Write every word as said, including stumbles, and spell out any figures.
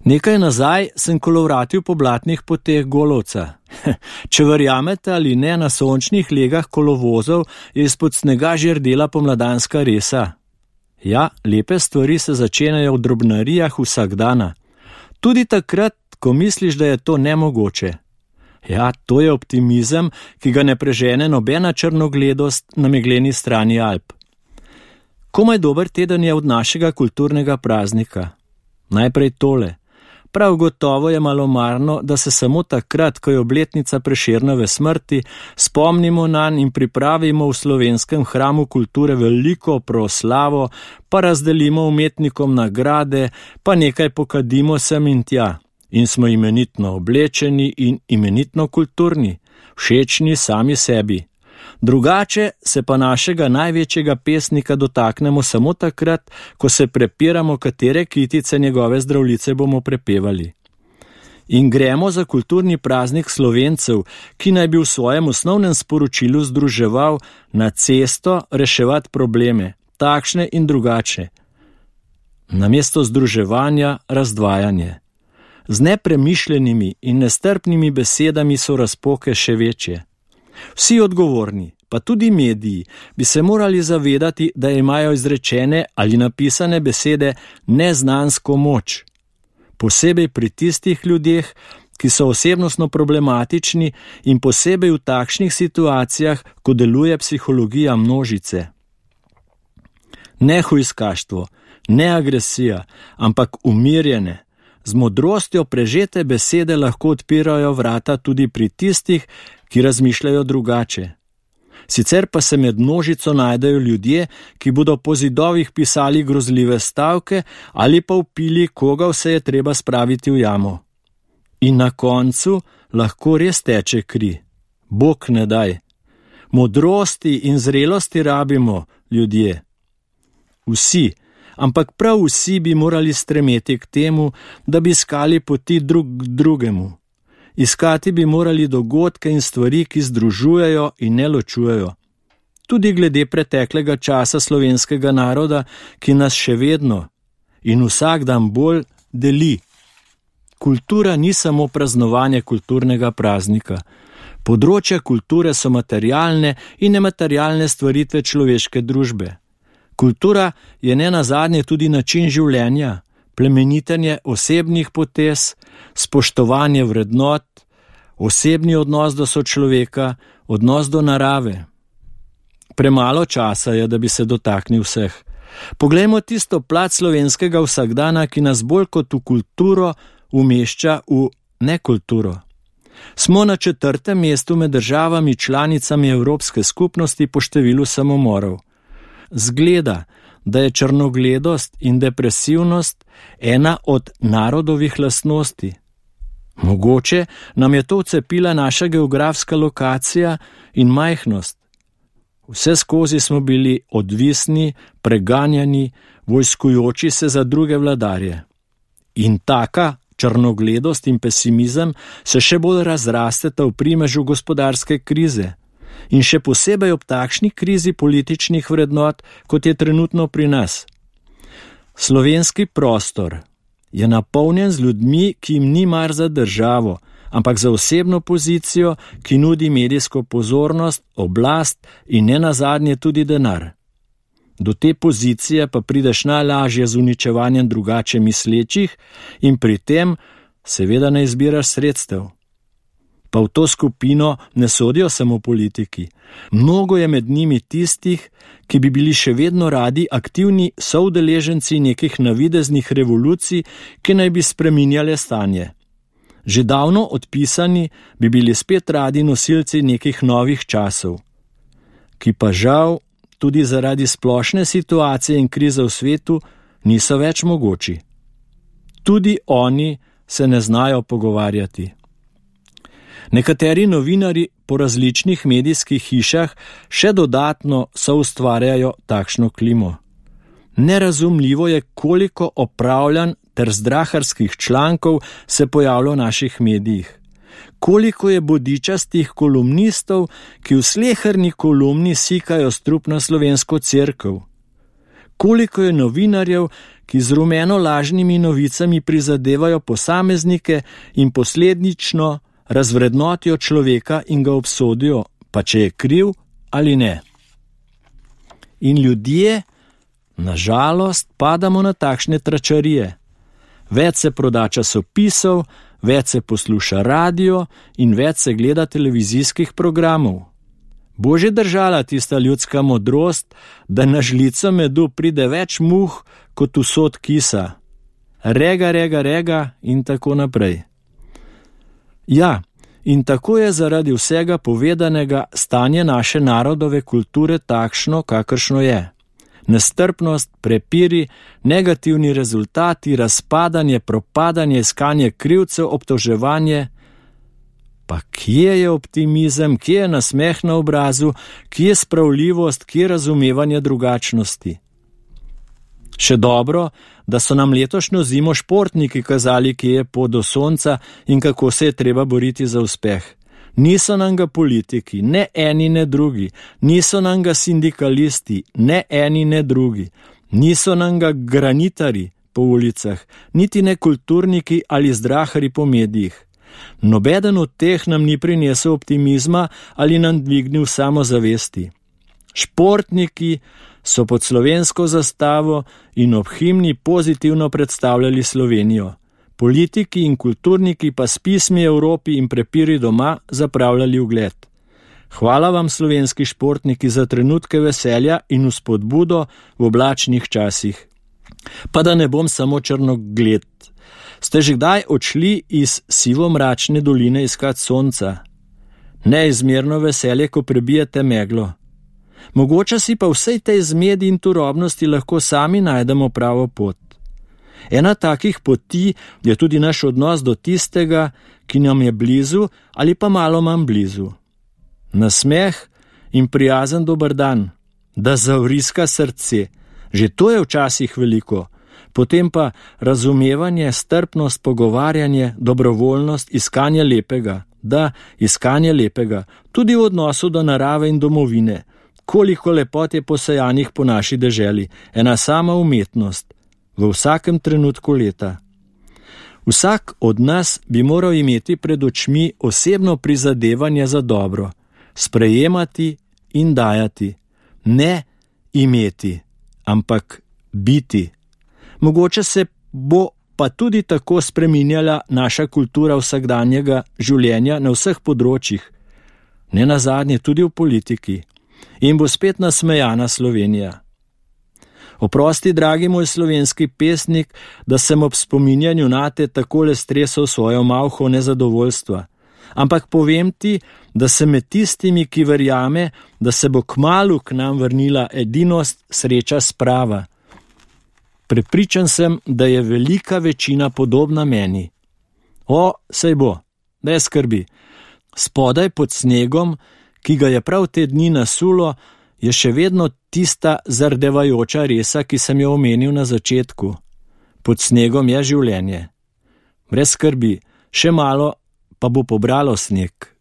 Nekaj nazaj sem kolovratil po blatnih poteh Golovca. Če verjamete ali ne, na sončnih legah kolovozov je izpod snega že rdela pomladanska resa. Ja, lepe stvari se začenjajo v drobnarijah vsakdana. Tudi takrat, ko misliš, da je to nemogoče. Ja, to je optimizem, ki ga ne prežene nobena črnogledost na megleni strani Alp. Komaj dober teden je od našega kulturnega praznika. Najprej tole. Prav gotovo je malomarno, da se samo takrat, ko je obletnica Prešernove smrti, spomnimo nanj in pripravimo v slovenskem hramu kulture veliko proslavo, pa razdelimo umetnikom nagrade, pa nekaj pokadimo sem in tja. In smo imenitno oblečeni in imenitno kulturni, všečni sami sebi. Drugače se pa našega največjega pesnika dotaknemo samo takrat, ko se prepiramo, katere kitice njegove zdravljice bomo prepevali. In gremo za kulturni praznik Slovencev, ki naj bi v svojem osnovnem sporočilu združeval na cesto reševati probleme, takšne in drugače. Namesto združevanja razdvajanje. Z nepremišljenimi in nestrpnimi besedami so razpoke še večje. Vsi odgovorni, pa tudi mediji, bi se morali zavedati, da imajo izrečene ali napisane besede neznansko moč. Posebej pri tistih ljudeh, ki so osebnostno problematični in posebej v takšnih situacijah, ko deluje psihologija množice. Ne hujskaštvo, ne agresija, ampak umirjene, z modrostjo prežete besede lahko odpirajo vrata tudi pri tistih, ki razmišljajo drugače. Sicer pa se med množico najdejo ljudje, ki bodo po zidovih pisali grozljive stavke ali pa vpili, koga vse je treba spraviti v jamo. In na koncu lahko res teče kri. Bog ne daj. Modrosti in zrelosti rabimo, ljudje. Vsi, ampak prav vsi bi morali stremeti k temu, da bi iskali poti drug k drugemu. Iskati bi morali dogodke in stvari, ki združujejo in ne ločujejo. Tudi glede preteklega časa slovenskega naroda, ki nas še vedno in vsak dan bolj deli. Kultura ni samo praznovanje kulturnega praznika. Področja kulture so materialne in nematerialne stvaritve človeške družbe. Kultura je nenazadnje tudi način življenja, plemenitenje osebnih potez, spoštovanje vrednot, osebni odnos do sočloveka, odnos do narave. Premalo časa je, da bi se dotaknil vseh. Poglejmo tisto plat slovenskega vsakdana, ki nas bolj kot v kulturo umešča v nekulturo. Smo na četrtem mestu med državami članicami Evropske skupnosti po številu samomorov. Zgleda, da je črnogledost in depresivnost ena od narodovih lastnosti. Mogoče nam je to vcepila naša geografska lokacija in majhnost. Vse skozi smo bili odvisni, preganjani, vojskujoči se za druge vladarje. In taka črnogledost in pesimizem se še bolj razrasteta v primežu gospodarske krize. In še posebej ob takšni krizi političnih vrednot, kot je trenutno pri nas. Slovenski prostor je napolnjen z ljudmi, ki jim ni mar za državo, ampak za osebno pozicijo, ki nudi medijsko pozornost, oblast in nenazadnje tudi denar. Do te pozicije pa prideš najlažje z uničevanjem drugače mislečih in pri tem seveda ne izbiraš sredstev. Pa v to skupino ne sodijo samo politiki. Mnogo je med njimi tistih, ki bi bili še vedno radi aktivni soudeleženci nekih navideznih revolucij, ki naj bi spreminjale stanje. Že davno odpisani bi bili spet radi nosilci nekih novih časov, ki pa žal tudi zaradi splošne situacije in krize v svetu niso več mogoči. Tudi oni se ne znajo pogovarjati. Nekateri novinari po različnih medijskih hišah še dodatno soustvarjajo takšno klimo. Nerazumljivo je, koliko opravljanj ter zdraharskih člankov se pojavlja v naših medijih. Koliko je bodičastih kolumnistov, ki v sleherni kolumni sikajo strup na slovensko cerkev. Koliko je novinarjev, ki z rumeno lažnimi novicami prizadevajo posameznike in posledično razvrednotijo človeka in ga obsodijo, pa če je kriv ali ne. In ljudje, na žalost, padamo na takšne tračarije. Več se proda časopisov, več se posluša radio in več se gleda televizijskih programov. Bo že držala tista ljudska modrost, da na žlico medu pride več muh kot usod kisa. Rega, rega, rega in tako naprej. Ja, in tako je zaradi vsega povedanega stanje naše narodove kulture takšno, kakršno je. Nestrpnost, prepiri, negativni rezultati, razpadanje, propadanje, iskanje krivcev, obtoževanje. Pa kje je optimizem, kje je nasmeh na obrazu, kje je spravljivost, kje je razumevanje drugačnosti? Še dobro, da so nam letošnjo zimo športniki kazali, kje je pot do sonca in kako se je treba boriti za uspeh. Niso nam ga politiki, ne eni ne drugi, niso nam ga sindikalisti, ne eni ne drugi, niso nam ga granitari po ulicah, niti ne kulturniki ali zdrahari po medijih. Nobeden od teh nam ni prinesel optimizma ali nam dvignil samozavesti. Športniki so pod slovensko zastavo in ob himni pozitivno predstavljali Slovenijo. Politiki in kulturniki pa s pismi Evropi in prepiri doma zapravljali ugled. Hvala vam, slovenski športniki, za trenutke veselja in vzpodbudo v oblačnih časih. Pa da ne bom samo črnogled. Ste že kdaj odšli iz sivo-mračne doline iskat sonca? Neizmerno veselje, ko prebijete meglo. Mogoče si pa vsej tej zmedi in turobnosti lahko sami najdemo pravo pot. Ena takih poti je tudi naš odnos do tistega, ki nam je blizu ali pa malo manj blizu. Nasmeh in prijazen dober dan, da zavriska srce, že to je včasih veliko. Potem pa razumevanje, strpnost, pogovarjanje, dobrovoljnost, iskanje lepega, da, iskanje lepega, tudi v odnosu do narave in domovine. Koliko lepot je posejanih po naši deželi, ena sama umetnost, v vsakem trenutku leta. Vsak od nas bi moral imeti pred očmi osebno prizadevanje za dobro, sprejemati in dajati, ne imeti, ampak biti. Mogoče se bo pa tudi tako spreminjala naša kultura vsakdanjega življenja na vseh področjih, ne nazadnje tudi v politiki, in bo spet nasmejana Slovenija. Oprosti, dragi moj slovenski pesnik, da sem ob spominjanju nate takole stresel svojo malho nezadovoljstva, ampak povem ti, da sem med tistimi, ki verjame, da se bo kmalu k nam vrnila edinost, sreča, sprava. Prepričan sem, da je velika večina podobna meni. O, sej bo, ne skrbi. Spodaj pod snegom, ki ga je prav te dni nasulo, je še vedno tista zardevajoča resa, ki sem jo omenil na začetku. Pod snegom je življenje. Brez skrbi, še malo pa bo pobralo sneg.